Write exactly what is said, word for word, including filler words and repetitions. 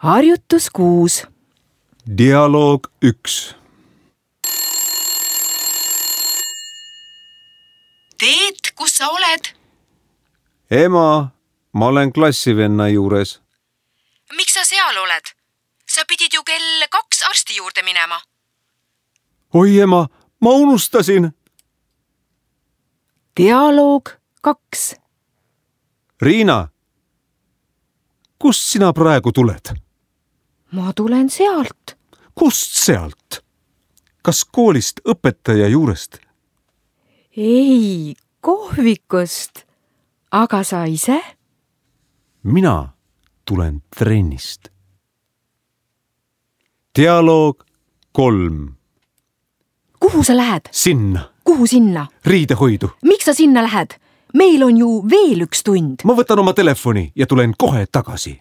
harjutus kuus. Dialoog üks. Teet, kus sa oled? Ema, ma olen klassivenna juures. Miks sa seal oled? Sa pidid ju kell kaks arsti juurde minema. Oi ema, ma unustasin. Dialoog kaks. Riina, kust sina praegu tuled? Ma tulen sealt. Kust sealt? Kas koolist õpetaja juurest? Ei, kohvikust. Aga sa ise? Mina tulen trennist. Dialoog kolm. Kuhu sa lähed? Sinna. Kuhu sinna? Riidehoidu. Miks sa sinna lähed? Meil on ju veel üks tund. Ma võtan oma telefoni ja tulen kohe tagasi.